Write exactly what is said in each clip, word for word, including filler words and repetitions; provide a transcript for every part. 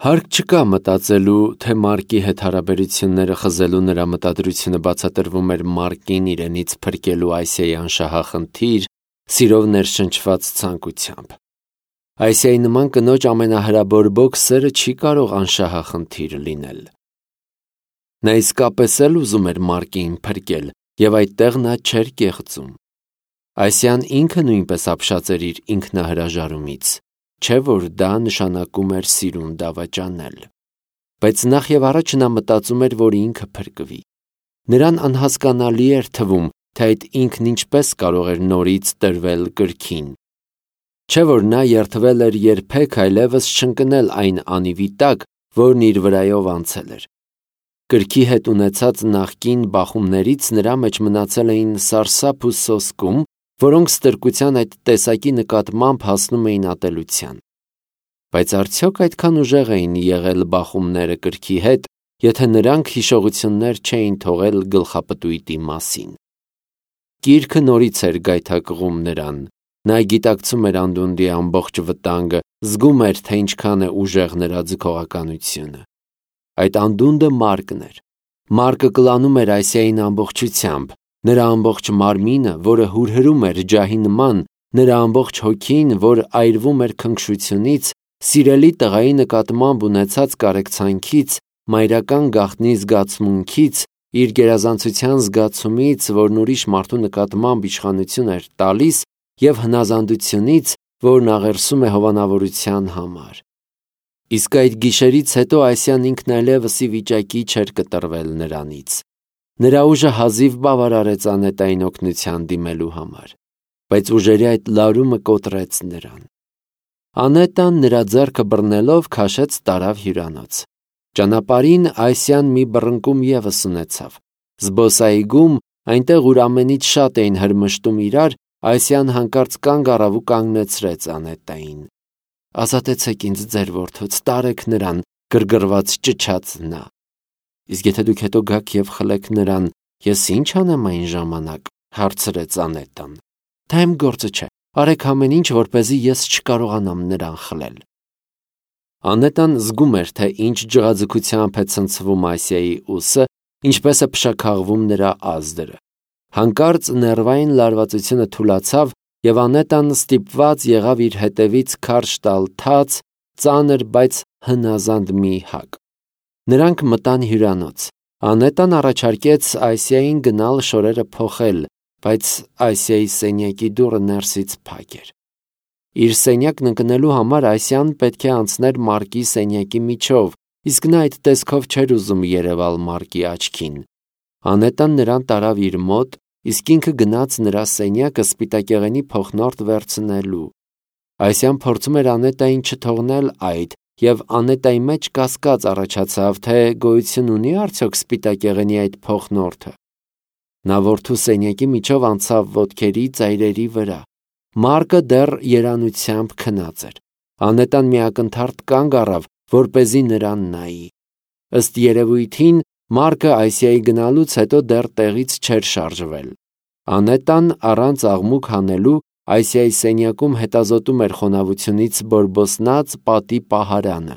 Հարկ չկա մտածելու, թե Մարկի հետ հարաբերությունները խզելու նրա մտադրությունը բացատրվում էր Մարկին իրենից փրկելու Ասիայի անշահախնդիր, սիրով ներշնչված ցանկությամբ։ Ասիայի նման կնոջ ամենահրաբորբոք սերը չի կարող անշահախնդիր լինել։ Նա իսկապես էլ ուզում էր Մարկին փրկել, եւ այդտեղ նա չէր կեղծում։ Ասիան ինքը նույնպես ապշած էր իր ինքնահրաժարումից, չէ՞ որ դա նշանակում էր սիրուն դավաճանել։ Բայց նախ եւ առաջ նա մտածում էր, որ ինքը փրկվի։ Նրան անհասկանալի էր թվում, թե այդ ինքն ինչպես կարող էր նորից տրվել կրքին։ Չէ՞ որ նա երդվել էր երբեք այլևս չընկնել այն անիվի տակ, որն իր վրայով անցել էր։ Կրքի հետ ունեցած նախկին բախումներից նրա մեջ մնացել էին սարսափ ու սոսկում, որոնք ստրկության այդ տեսակի նկատմամբ հասնում էին ատելության։ Բայց արդյոք այդքան ուժեղ էին եղել բախումները կրքի հետ, եթե նրանք հիշողություններ չէին թողել գլխապտույտի մասին։ Գիրքը նորից էր գայթակղում նրան։ Նա գիտակցում էր անդունդի ամբողջ վտանգը, զգում էր, թե ինչքան է ուժեղ նրա ձգողականությունը։ Այդ անդունդը Մարկն էր։ Մարկը կլանում էր Ասիային ամբողջությամբ, նրա ամբողջ մարմինը, որը հուրհրում էր ջահի նման, նրա ամբողջ հոգին, որ այրվում էր քնքշությունից, սիրելի տղայի նկատմամբ ունեցած կարեկցանքից, մայրական գաղտնի զգացմունքից, իր գերազանցության զգացումից, որն ուրիշ մարդու նկատմամբ իշխանություն էր տալիս, եւ հնազանդությունից, որն աղերսում է հովանավորության համար։ Իսկ այդ գիշերից հետո Ասիան ինքն այլևս ի վիճակի չէր կտրվել նրանից։ Նրա ուժը հազիվ բավարարեց Անետային օգնության դիմելու համար, բայց ուժերի այդ լարումը կոտրեց նրան։ Անետան նրա ձեռքը բռնելով քաշեց տարավ հյուրանոց։ Ճանապարհին Ասիան մի բռնկում ևս ունեցավ։ Զբոսայգում, այնտեղ ուր ամենից շատ էին հրմշտում իրար, Ասիան հանկարծ կանգ առավ ու կանգնեցրեց Անետային։ «Ազատեցեք ինձ ձեր որդուց, տարեք նրան», գրգռված ճչաց նա։ «Իսկ եթե դուք հետո գաք եւ խլեք նրան, ես ի՞նչ անեմ այն ժամանակ», հարցրեց Անետան։ «Դա իմ գործը չէ, արեք ամեն ինչ, որպեսզի ես չկարողանամ նրան խլել»։ Անետան զգում էր, թե ինչ ջղաձգությամբ է ցնցվում Ասիայի ուսը, ինչպես է փշաքաղվում նրա ազդրը։ Հանկարծ ներվային լարվածությունը թուլացավ, եւ Անետան ստիպված եղավ իր հետևից քարշ տալ թաց, ծանր, բայց հնազանդ մի հակ։ Նրանք մտան հյուրանոց։ Անետան առաջարկեց Ասիային գնալ շորերը փոխել, բայց Ասիայի սենյակի դուռը ներսից փակ էր։ Իր սենյակն ընկնելու համար Ասիան պետք է անցներ Մարկի սենյակի միջով, իսկ նա այդ տեսքով չէր ուզում երևալ Մարկի աչքին։ Անետան նրան տարավ իր մոտ, իսկ ինքը գնաց նրա սենյակը սպիտակեղենի փոխնորդ վերցնելու։ Ասիան փորձում էր Անետային չթողնել այդ, եւ Անետայի մեջ կասկած առաջացավ, թե գոյություն ունի արդյոք սպիտակեղենի այդ փոխնորդը։ Նա որդու սենյակի միջով անցավ ոտքերի ծայրերի վրա։ Մարկը դեռ երանությամբ քնած էր։ Անետան մի ակնթարթ կանգ առավ, որպեսզի նրան նայի։ Ըստ երևույթին, Մարկը Ասիայի գնալուց հետո դեռ տեղից չէր շարժվել։ Անետան առանց աղմուկ հանելու Ասիայի սենյակում հետազոտում էր խոնավությունից բորբոսնած պատի պահարանը։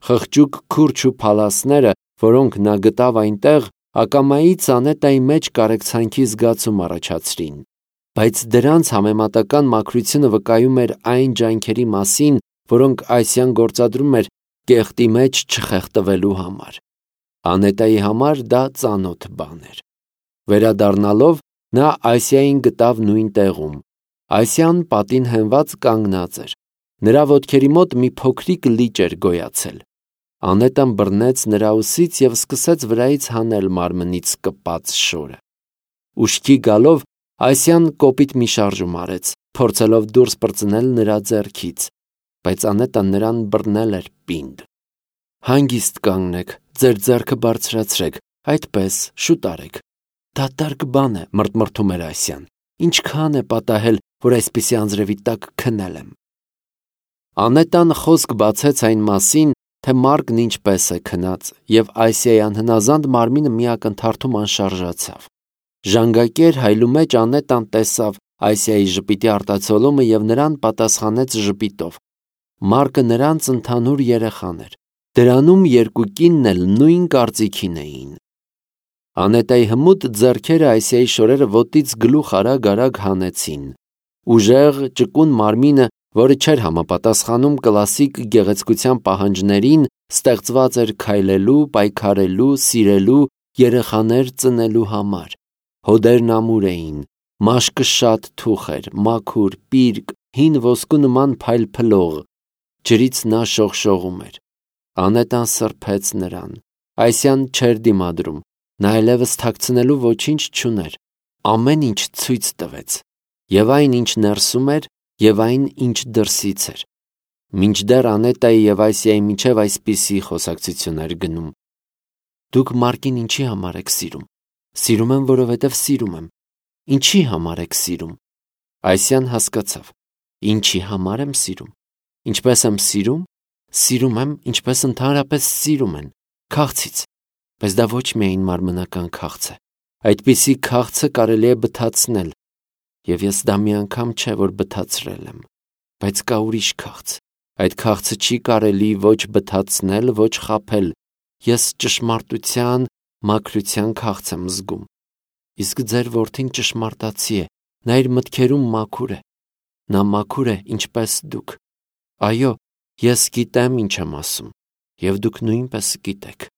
Խղճուկ քուրջ ու փալասները, որոնք նա գտավ այնտեղ, ակամայից Անետայի մեջ կարեկցանքի զգացում առաջացրին, բայց դրանց համեմատական մաքրությունը վկայում էր այն ջանքերի մասին, որոնք Ասիան գործադրում էր կեղտի մեջ չխեղդվելու համար։ Անետայի համար դա ծանոթ բան էր։ Վերադառնալով, նա Ասիային գտավ նույն տեղում։ Ասիան պատին հենված կանգնած էր։ Նրա ոտքերի մոտ մի փոքրիկ լիճ էր գոյացել։ Անետան բռնեց նրա ուսից եւ սկսեց վրայից հանել մարմնից կպած շորը։ Ուշքի գալով Ասիան կոպիտ մի շարժում արեց, փորձելով դուրս պրծնել նրա ձեռքից, բայց Անետան նրան բռնել էր պինդ։ «Հանգիստ կանգնեք, ձեր ձեռքը բարձրացրեք, այդպես, շուտ արեք։ Դատարկ բան է», մռթմռթում էր Ասիան։ «Ինչքան է պատահել, որ այսպիսի անձրևի տակ քնել եմ»։ Անետան խոսք բացեց այն մասին, թե Մարկն ինչպես է քնած, եւ Ասիայի անհնազանդ մարմինը մի ակնթարթում անշարժացավ։ Ժանգակեր հայլու մեջ Անետան տեսավ Ասիայի ժպիտի արտացոլումը եւ նրան պատասխանեց ժպիտով։ Մարկը նրանց ընդհանուր երեխան էր։ Դրանում երկու կինն էլ նույն կարծիքին էին։ Անետայի հմուտ ձեռքերը Այսիայի շորերը ոտից գլուխ արագ-արագ հանեցին։ Ուժեղ, ճկուն մարմինը, որը չէր համապատասխանում կլասիկ գեղեցկության պահանջներին, ստեղծված էր քայլելու, պայքարելու, սիրելու, երեխաներ ծնելու համար։ Հոդերն ամուր էին, մաշկը շատ թուխ էր, մաքուր, պիրկ, հին ոսկու նման փայլփլող, ջրից նա շողշողում էր։ Անետան սրբեց նրան։ Այսյան չէր դիմադրում, նա այլևս թաքցնելու ոչինչ չուներ, ամեն ինչ ցույց տվեց, եւ այն, ինչ ներսում էր, եւ այն, ինչ դրսից էր։ Մինչդեռ Անետայի եւ Այսիայի միջև այսպիսի խոսակցություն էր գնում. «Դուք Մարկին ինչի համար եք սիրում»։ «Սիրում եմ, որովհետև սիրում եմ»։ «Ինչի համար եք սիրում»։ Այսյան հասկացավ. «Ինչի համար եմ սիրում»։ «Ինչպես եմ սիրում»։ «Սիրում եմ, ինչպես ընդհանրապես սիրում են, քաղցից»։ Բայց դա ոչ միայն մարմնական քաղց է։ Այդպիսի քաղցը կարելի է բթացնել, եւ ես դա մի անգամ չէ, որ բթացրել եմ, բայց կա ուրիշ քաղց։ Այդ քաղցը չի կարելի ոչ բթացնել, ոչ խաբել։ Ես ճշմարտության, մաքրության քաղց եմ զգում։ Իսկ ձեր որդին ճշմարտացի է, նա իր մտքերում մաքուր է։ Նա մաքուր է, ինչպես դուք։ Այո, ես գիտեմ ինչ եմ ասում, եւ դուք նույնպես գիտեք։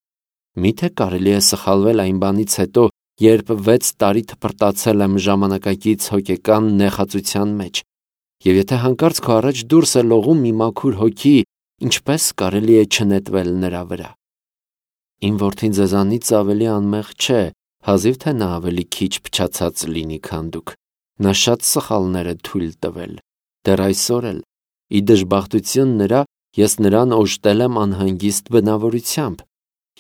Միթե կարելի է սխալվել այն բանից հետո, երբ վեց տարի թփրտացել եմ ժամանակակից հոգեկան նեխածության մեջ, եւ եթե հանկարծ քո առաջ դուրս է լողում մի մաքուր հոգի, ինչպես կարելի է չնետվել նրա վրա։ Իմ որդին ձեզանից ավելի անմեղ չէ, հազիվ թե նա ավելի քիչ փչացած լինի, քան դուք։ Նա շատ սխալներ է թույլ տվել։ Դեռ այսօր էլ, ի դժբախտություն նրա, ես նրան օժտել եմ անհանգիստ բնավորությամբ։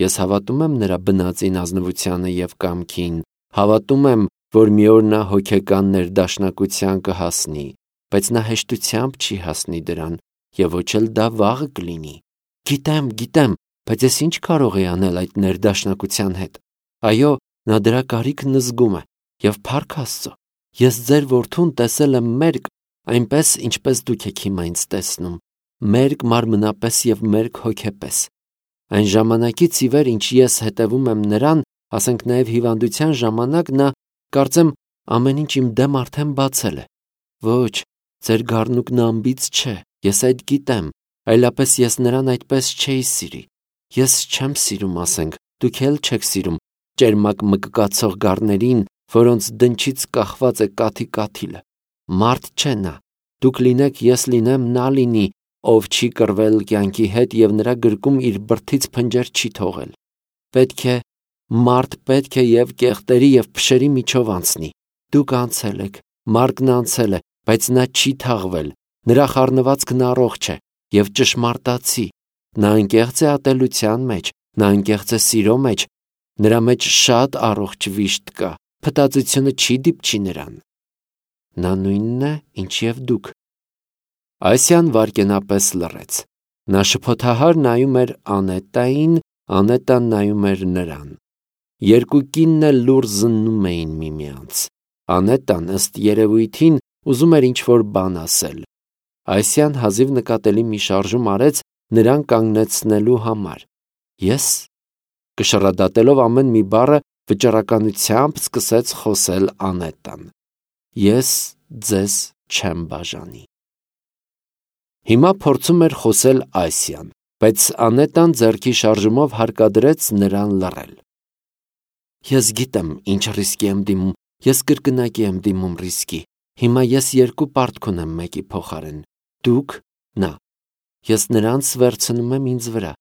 Ես հավատում եմ նրա բնածին ազնվությանը եւ կամքին, հավատում եմ, որ մի օր նա հոգեկան ներդաշնակության կհասնի, բայց նա հեշտությամբ չի հասնի դրան, եւ ոչ էլ դա վաղը կլինի։ Գիտեմ, գիտեմ, բայց ես ինչ կարող եի անել այդ ներդաշնակության հետ։ Այո, նա դրա կարիքն զգում է, եւ փառք Աստծո, ես ձեր որդուն տեսել եմ մերկ, այնպես, ինչպես դուք եք հիմա ինձ տեսնում, մերկ մարմնապես եւ մերկ հոգեպես։ Այն ժամանակից ի վեր, ինչ ես հետևում եմ նրան, ասենք նաև հիվանդության ժամանակ, նա, կարծեմ, ամեն ինչ իմ դեմ արդեն բացել է։ Ոչ, ձեր գառնուկն անբիծ չէ, ես այդ գիտեմ, այլապես ես նրան այդպես չէի սիրի։ Ես չեմ սիրում, ասենք, դուք էլ չեք սիրում ճերմակ մկկացող գառներին, որոնց դնչից կախված է կաթի կաթիլը։ Մարդ չէ նա։ Դուք լինեք, ես լինեմ, նա լինի, ով չի կռվել կյանքի հետ եւ նրա գրկում իր բրդից փնջեր չի թողել։ Պետք է, մարդ պետք է եւ կեղտերի եւ փշերի միջով անցնի։ Դուք անցել եք, Մարկն անցել է, բայց նա չի թաղվել։ Նրա խառնվածքն առողջ է եւ ճշմարտացի։ Նա անկեղծ է ատելության մեջ, նա անկեղծ է սիրո մեջ, նրա մեջ շատ առողջ վիշտ կա, փտածությունը չի դիպչի նրան։ Նա նույնն է, ինչ եւ դուք։ Այսյան վարկենապես լռեց։ Նա շփոթահար նայում էր Անետային, Անետան նայում էր նրան։ Երկու կինն էլ լուռ զննում էին միմյանց։ Անետան ըստ երևույթին ուզում էր ինչ-որ բան ասել։ Այսյան հազիվ նկատելի մի շարժում արեց նրան կանգնեցնելու համար։ Ես, կշռադատելով ամեն մի բառը, վճռականությամբ սկսեց խոսել Անետան։ Ես ձեզ չեմ բաժանի։ Հիմա փորձում էր խոսել Այսյան, բայց Անետան ձեռքի շարժումով հարկադրեց նրան լռել։ Ես գիտեմ, ինչ ռիսկի եմ դիմում, ես կրկնակի եմ դիմում ռիսկի։ Հիմա ես երկու պարտք ունեմ մեկի փոխարեն։ Դուք, նա։ Ես նրանց վերցնում եմ ինձ վրա։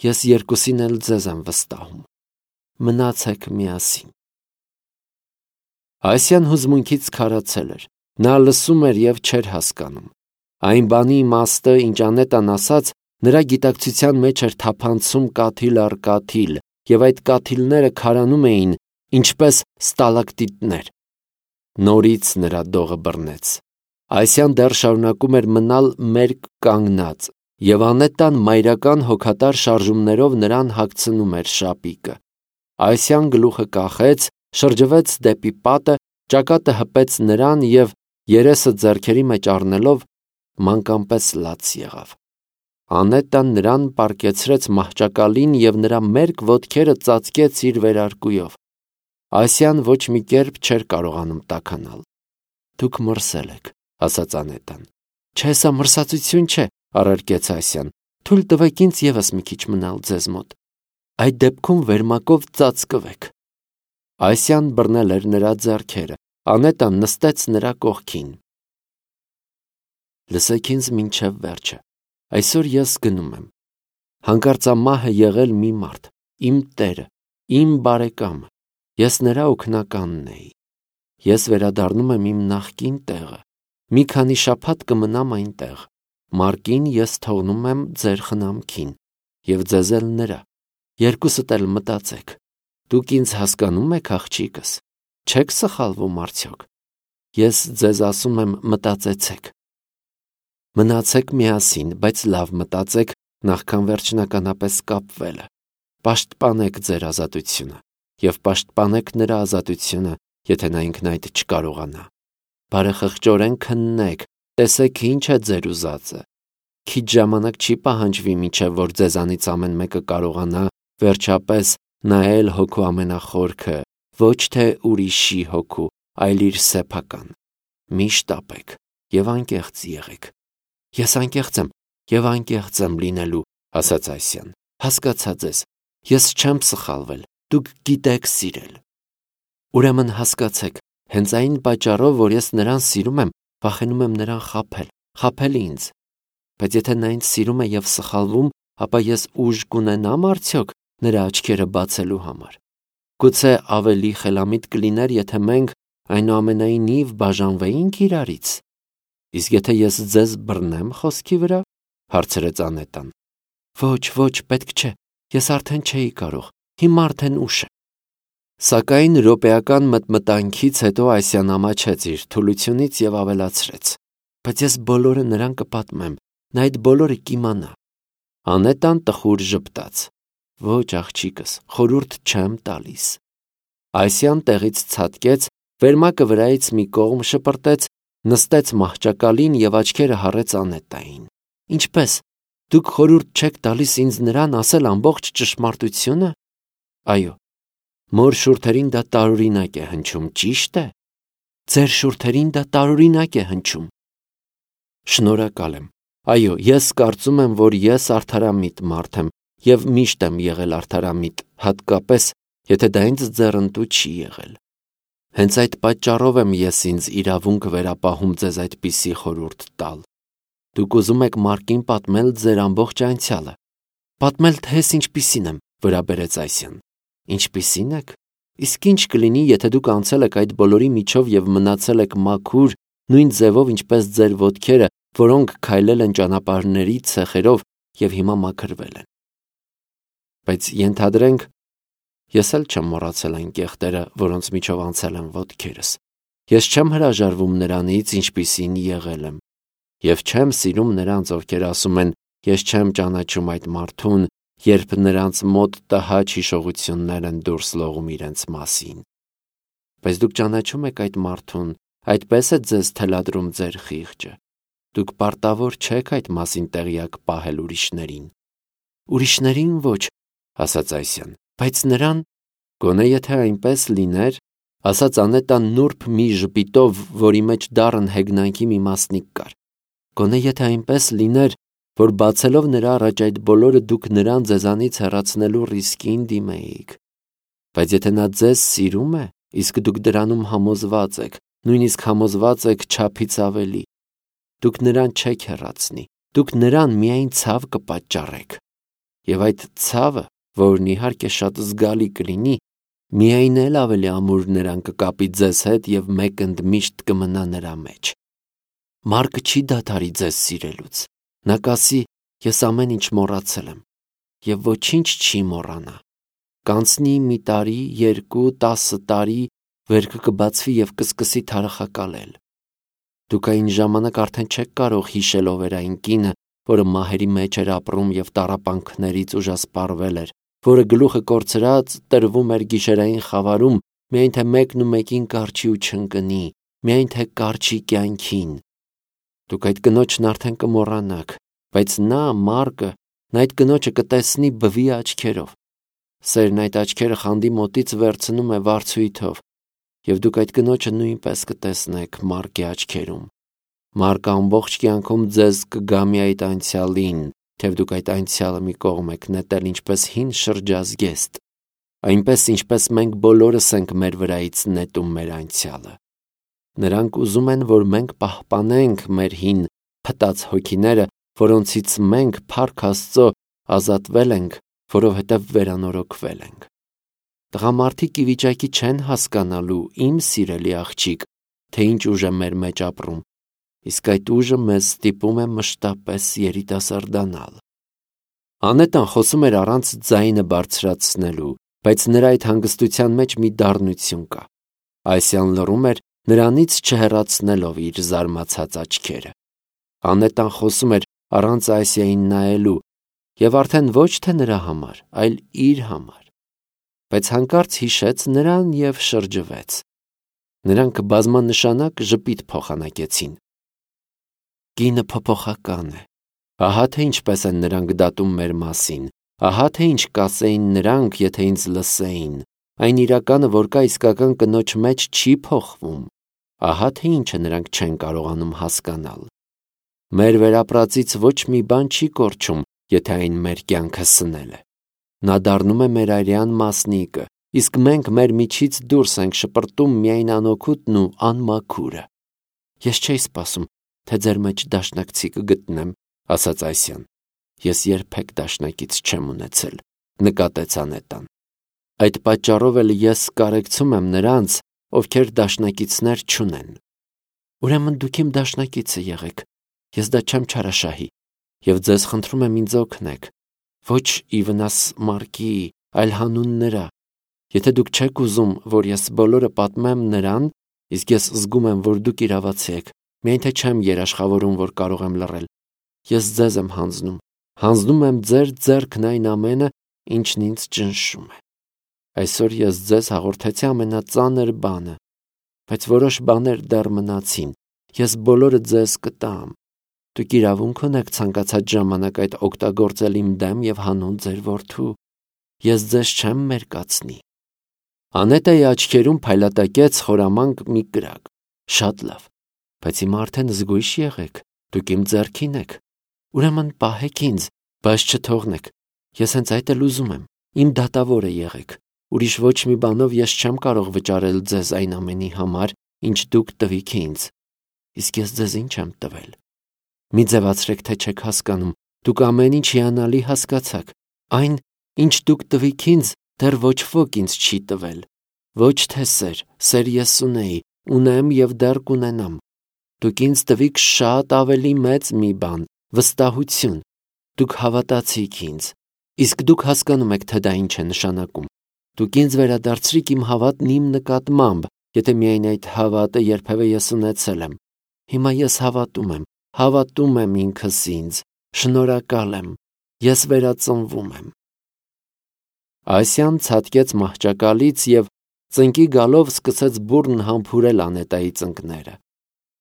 Ես երկուսին էլ ձեզ եմ վստահում։ Մնացեք միասին։ Այսյան հուզմունքից քարացել էր։ Նա լսում էր եւ չէր հասկանում։ Այն բանի իմաստը, ինչ Անետան ասաց, նրա գիտակցության մեջ էր թափանցում կաթիլ առ կաթիլ, եւ այդ կաթիլները քարանում էին, ինչպես ստալակտիտներ։ Նորից նրա դողը բռնեց։ Այսյան դեռ շարունակում էր մնալ մերկ կանգնած, եւ Անետան մայրական հոգատար շարժումներով նրան հագցնում էր շապիկը։ Այսյան գլուխը կախեց, շրջվեց դեպի պատը, ճակատը հպեց նրան եւ երեսը ձեռքերի մեջ առնելով մանկամպես լաց եղավ։ Անետան նրան պարկեցրեց մահճակալին և նրա մերկ ոտքերը ծածկեց իր վերարկուով։ Ասիան ոչ մի կերպ չէր կարողանում տաքանալ։ Դուք մրսել եք, ասաց Անետան։ Չէ, սա մրսածություն չէ, առարկեց Ասիան։ Թույլ տվեք ինձ ևս մի քիչ մնալ ձեզ մոտ։ Այդ դեպքում վերմակով ծածկվեք։ Ասիան բռնել էր նրա ձեռքերը։ Անետան նստեց նրա կողքին։ Լսեք ինձ մինչև վերջը։ Այսօր ես գնում եմ։ Հանկարծամահ է եղել մի մարդ, իմ տերը, իմ բարեկամը։ Ես նրա օգնականն էի։ Ես վերադառնում եմ իմ նախկին տեղը։ Մի քանի շաբաթ կմնամ այնտեղ։ Մարկին ես թողնում եմ ձեր խնամքին և ձեզ էլ նրա։ Երկուսդ էլ մտածեք։ Դուք ինձ հասկանում եք, աղջիկս։ Չեք սխալվում արդյոք։ Ես ձեզ ասում եմ, մտածեցեք։ Մնացեք միասին, բայց լավ մտածեք, նախքան վերջնականապես կապվելը։ Պաշտպանեք ձեր ազատությունը և պաշտպանեք նրա ազատությունը, եթե նա ինքն այդ չկարողանա։ Բարեխղճորեն քննեք, տեսեք ինչ է ձեր ուզածը։ Քիչ ժամանակ չի պահանջվի, մինչև որ ձեզանից ամեն մեկը կարողանա վերջապես նայել հոգու ամենախորքը, ոչ թե ուրիշի հոգու, այլ իր սեփական։ Մի շտապեք և անկեղծ եղեք։ Ես անկեղծ եմ և անկեղծ եմ լինելու, ասաց Ասիան։ Հասկացա ձեզ։ Ես չեմ սխալվել։ Դուք գիտեք սիրել։ Ուրեմն հասկացեք, հենց այն պատճառով, որ ես նրան սիրում եմ, վախենում եմ նրան խաբել, խաբել ինձ։ Բայց եթե նա ինձ սիրում է և սխալվում, ապա ես ուժ կունենա՞մ արդյոք նրա աչքերը բացելու համար։ Գուցե ավելի խելամիտ կլիներ, եթե մենք այնուամենայնիվ բաժանվեինք իրարից։ Իսկ եթե ես ձեզ բռնեմ խոսքի վրա, հարցրեց Անետան։ Ոչ, ոչ, պետք չէ։ Ես արդեն չէի կարող։ Հիմա արդեն ուշ է։ Սակայն րոպեական մտմտանքից հետո Ասիան ամաչեց իր թուլությունից և ավելացրեց. Բայց ես բոլորը նրան կպատմեմ, նա այդ բոլորը կիմանա։ Անետան տխուր ժպտաց. Ոչ, աղջիկս, խորհուրդ չեմ տալիս։ Ասիան տեղից ցատկեց, վերմակը վրայից մի կողմ շպրտեց, նստեց մահճակալին և աչքերը հառեց Անետային։ Ինչպե՞ս, դուք խորհուրդ չեք տալիս ինձ նրան ասել ամբողջ ճշմարտությունը։ Այո, մոր շուրթերին դա տարօրինակ է հնչում, ճիշտ է։ Ձեր շուրթերին դա տարօրինակ է հնչում։ Շնորհակալ եմ։ Այո, ես կարծում եմ, որ ես արդարամիտ մարդ եմ և միշտ եմ եղել արդարամիտ, հատկապես, եթե դա ինձ ձեռնտու չի եղել։ Հենց այդ պատճառով եմ ես ինձ իրավունք վերապահում ձեզ այդպիսի խորհուրդ տալ։ Դուք ուզում եք Մարկին պատմել ձեր ամբողջ անցյալը։ Պատմել, թե ես ինչպիսին եմ, վրա բերեց Ասիան։ Ինչպիսին եք։ Իսկ ինչ կլինի, եթե դուք անցել եք այդ բոլորի միջով և մնացել եք մաքուր, նույն ձևով, ինչպես ձեր ոտքերը, որոնք քայլել են ճանապարհների ցեխերով և հիմա մաքրվել են։ Բայց ենթադրենք, ես էլ չեմ մոռացել այն կեղտերը, որոնց միջով անցել եմ ոտքերս։ Ես չեմ հրաժարվում նրանից, ինչպիսին եղել եմ։ Եվ չեմ սիրում նրանց, ովքեր ասում են, ես չեմ ճանաչում այդ մարդուն, երբ նրանց մոտ տհաճ հիշողություններ են դուրս լողում իրենց մասին։ Բայց դուք ճանաչում եք այդ մարդուն, այդպես է ձեզ թելադրում ձեր խիղճը։ Դուք պարտավոր չեք այդ մասին տեղյակ պահել ուրիշներին։ Ուրիշներին ոչ, ասաց Ասիան, բայց նրան, գոնե եթե այնպես լիներ, ասաց Անետան նուրբ մի ժպիտով, որի մեջ դառն հեգնանքի մի մասնիկ կար։ Գոնե եթե այնպես լիներ, որ բացելով նրա առաջ այդ բոլորը դուք նրան ձեզանից հեռացնելու ռիսկին դիմեիք։ Բայց եթե նա ձեզ սիրում է, իսկ դուք դրանում համոզված եք, նույնիսկ համոզված եք չափից ավելի, դուք նրան չեք հեռացնի, դուք նրան միայն ցավ կպատճառեք։ Եվ այդ ցավը, որն իհարկե շատ զգալի կլինի, միայն էլ ավելի ամուր նրան կկապի ձեզ հետ և մեկ ընդմիշտ կմնա նրա մեջ։ Մարկը չի դադարի ձեզ սիրելուց։ Նա կասի, ես ամեն ինչ մոռացել եմ, և ոչինչ չի մոռանա։ Կանցնի մի տարի, երկու, տասը տարի, վերքը կբացվի և կսկսի թարախակալել։ Դուք այն ժամանակ արդեն չեք կարող հիշել ով էր այն կինը, որը մահերի մեջ էր ապրում և տառապանքներից ուժասպառվել էր, որը գլուխը կորցրած տրվում էր գիշերային խավարում, միայն թե մեկն ու մեկին կառչի ու չընկնի, միայն թե կառչի կյանքին։ Դուք այդ կնոջն արդեն կմոռանաք, բայց նա, Մարկը, նա այդ կնոջը կտեսնի բվի աչքերով։ Սերն այդ աչքերը խանդի մոտից վերցնում է վարձույթով, և դուք այդ կնոջը նույնպես կտեսնեք Մարկի աչքերում։ Մարկը ամբողջ կյանքում ձեզ կգա մի այդ անցյալին, թեև դուք այդ անցյալը մի կողմ եք նետել ինչպես հին շրջազգեստ, այնպես ինչպես մենք բոլորս ենք մեր վրայից նետում մեր անցյալը։ Նրանք ուզում են, որ մենք պահպանենք մեր հին փտած հոգիները, որոնցից մենք փառք Աստծո ազատվել ենք, որովհետև վերանորոգվել ենք։ Տղամարդիկ ի վիճակի չեն հասկանալու, իմ սիրելի աղջիկ, թե ինչ ուժ է մեր մեջ ապրում, իսկ այդ ուժը մեզ ստիպում է մշտապես երիտասարդանալ։ Անետան խոսում էր առանց ձայնը բարձրացնելու, բայց նրա այդ հանգստության մեջ մի դառնություն կա։ Այսյան լռում էր, նրանից չհեռացնելով իր զարմացած աչքերը։ Անետան խոսում էր առանց Այսիային նայելու, և արդեն ոչ թե նրա համար, այլ իր համար։ Բայց հանկարծ հիշեց նրան և շրջվեց։ Նրանք բազմանշանակ ժպիտ փոխանակեցին։ Կինը փոփոխական է։ Ահա թե ինչպես են նրանք դատում մեր մասին, ահա թե ինչ կասեին նրանք, եթե ինձ լսեին, այն իրականը, որ կա իսկական կնոջ մեջ, չի փոխվում, ահա թե ինչը նրանք չեն կարողանում հասկանալ։ Մեր վերապրածից ոչ մի բան չի կորչում, եթե այն մեր կյանքը սնել է։ Նա դառնում է մեր արյան մասնիկը, իսկ մենք մեր միջից դուրս ենք շպրտում միայն անօգուտն ու անմաքուրը։ Ես չէի սպասում, թե ձեր մեջ դաշնակցի կգտնեմ, ասաց Այսյան։ Ես երբեք դաշնակից չեմ ունեցել, նկատեց Անետան։ Այդ պատճառով էլ ես կարեկցում եմ նրանց, ովքեր դաշնակիցներ չունեն։ Ուրեմն դուք իմ դաշնակիցը եղեք, ես դա չեմ չարաշահի, և ձեզ խնդրում եմ ինձ օգնեք, ոչ ի վնաս Մարկի, այլ հանուն նրա։ Եթե դուք չեք ուզում, որ ես բոլորը պատմեմ նրան, իսկ ես զգում եմ, որ դուք իրավացի եք, միայն թե չեմ երաշխավորում, որ կարող եմ լռել, ես ձեզ եմ հանձնում, հանձնում եմ ձեր ձեռքն այն ամենը, ինչն ինձ ճնշում է։ Այսօր ես ձեզ հաղորդեցի ամենածանր բանը, բայց որոշ բաներ դեռ մնացին, ես բոլորը ձեզ կտամ։ Դուք իրավունք ունեք ցանկացած ժամանակ այդ օգտագործել իմ դեմ և հանուն ձեր որդու։ Ես ձեզ չեմ մերկացնի։ Անետայի աչքերում փայլատակեց խորամանկ մի կրակ։ Շատ լավ, բայց հիմա արդեն զգույշ եղեք, դուք իմ ձեռքին եք։ Ուրեմն պահեք ինձ, բայց չթողնեք։ Ես հենց այդ էլ ուզում եմ, իմ դատավորը եղեք։ Ուրիշ ոչ մի բանով ես չեմ կարող վճարել ձեզ այն ամենի համար, ինչ դուք տվիք ինձ։ Իսկ ես ձեզ ինչ եմ տվել։ Մի ձևացրեք, թե չեք հասկանում, դուք ամեն ինչ հիանալի հասկացաք։ Այն, ինչ դուք տվիք ինձ, դեռ ոչ ոք ինձ չի տվել։ Ոչ թե սեր, սեր ես ունեի, ունեմ և դեռ կունենամ։ Դուք ինձ տվիք շատ ավելի մեծ մի բան, վստահություն։ Դուք հավատացիք ինձ, իսկ դուք հասկանում եք, թե դա ինչ է նշանակում։ Դուք ինձ վերադարձրիք իմ հավատն իմ նկատմամբ, եթե միայն այդ հավատը երբևէ ես ունեցել եմ։ Հիմա ես հավատում եմ, հավատում եմ ինքս ինձ, շնորհակալ եմ, ես վերածնվում եմ։ Այսյան ցատկեց մահճակալից և ծնկի գալով սկսեց բուռն համբուրել Անետայի ծնկները։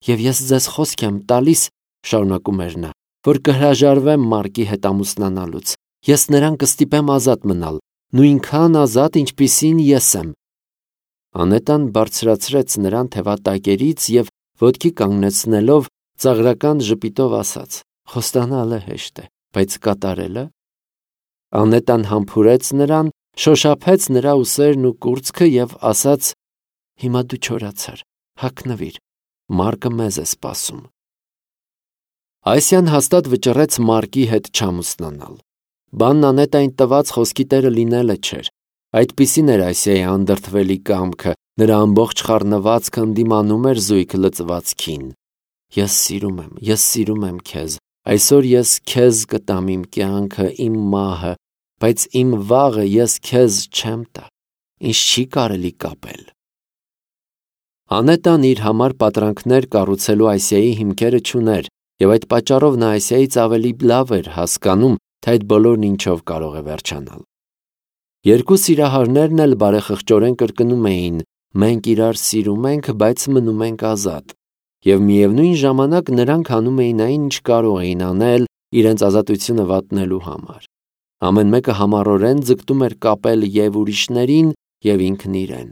Եվ ես ձեզ խոսք եմ տալիս, շարունակում էր նա, որ կհրաժարվեմ Մարկի հետ ամուսնանալուց, ես նրան կստիպեմ ազատ մնալ, նույնքան ազատ, ինչպիսին ես եմ։ Անետան բարձրացրեց նրան թևատակերից և ոտքի կանգնեցնելով ծաղրական ժպիտով ասաց. խոստանալը հեշտ է, բայց կատարելը։ Անետան համբուրեց նրան, շոշափեց նրա ուսերն ու կուրծքը և ասաց. հիմա դու չորացար, հագնվիր, Մարկը մեզ է սպասում։ Այսյան հաստատ վճռեց Մարկի հետ չամուսնանալ։ Բանն Անետային տված խոսքի տերը լինելը չէր։ Այդպիսին էր Այսիայի անդրդվելի կամքը, նրա ամբողջ խառնվածքը ընդդիմանում էր զույգ լծվածքին։ Ես սիրում եմ, ես սիրում եմ քեզ, այսօր ես քեզ կտամ իմ կյանքը, իմ մահը, բայց իմ վաղը ես քեզ չեմ տա, ինձ չի կարելի կապել։ Անետան իր համար պատրանքներ կառուցելու Այսիայի հիմքերը չուներ, և այդ պատճառով նա Այսիայից ավելի լավ էր հասկանում, թե այդ բոլորն ինչով կարող է վերջանալ։ Երկու սիրահարներն էլ բարեխղճորեն կրկնում էին. մենք իրար սիրում ենք, բայց մնում ենք ազատ։ Եվ միևնույն ժամանակ նրանք անում էին այն, ինչ կարող էին անել, իրենց ազատությունը վատնելու համար։ Ամեն մեկը համառորեն ձգտում էր կապել և ուրիշներին, և ինքն իրեն։